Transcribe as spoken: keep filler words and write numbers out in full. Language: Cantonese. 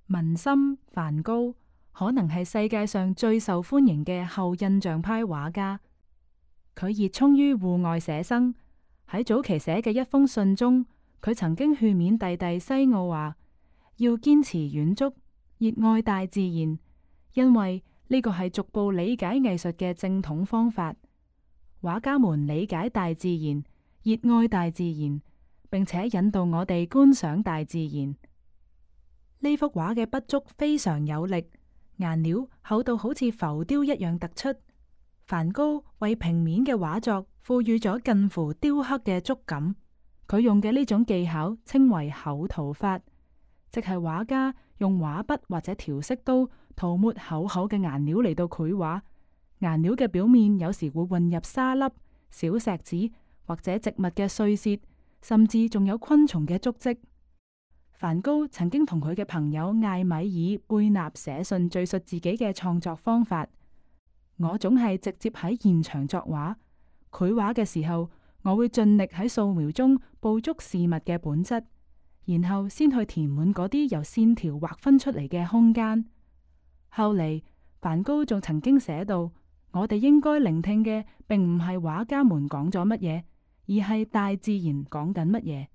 文森梵高可能係世界上最受歡迎嘅後印象派畫家。佢熱衷於戶外寫生。喺早期寫嘅一封信中，佢曾經勸勉弟弟西奧話，要堅持遠足，熱愛大自然，因為呢個係逐步理解藝術嘅正統方法。畫家們理解大自然，熱愛大自然，並且引導我哋觀賞大自然。呢幅畫嘅筆觸非常有力，顏料厚到好似浮雕一樣突出。梵高為平面嘅畫作賦予咗近乎雕刻嘅觸感，佢用嘅呢種技巧稱為厚塗法，即係畫家用畫筆或者調色刀塗抹厚厚嘅顏料嚟到繪畫。顏料嘅表面有時會混入沙粒、小石子或者植物嘅碎屑，甚至仲有昆蟲嘅足跡。梵高曾經同佢嘅朋友艾米爾貝納寫信敘述自己嘅創作方法。我總係直接喺現場作畫，繪畫嘅時候，我會盡力喺素描中捕捉事物嘅本質，然後先去填滿嗰啲由線條劃分出嚟嘅空間。後嚟，梵高仲曾經寫到，我哋應該聆聽嘅並唔係畫家們講咗乜嘢，而係大自然講緊乜嘢。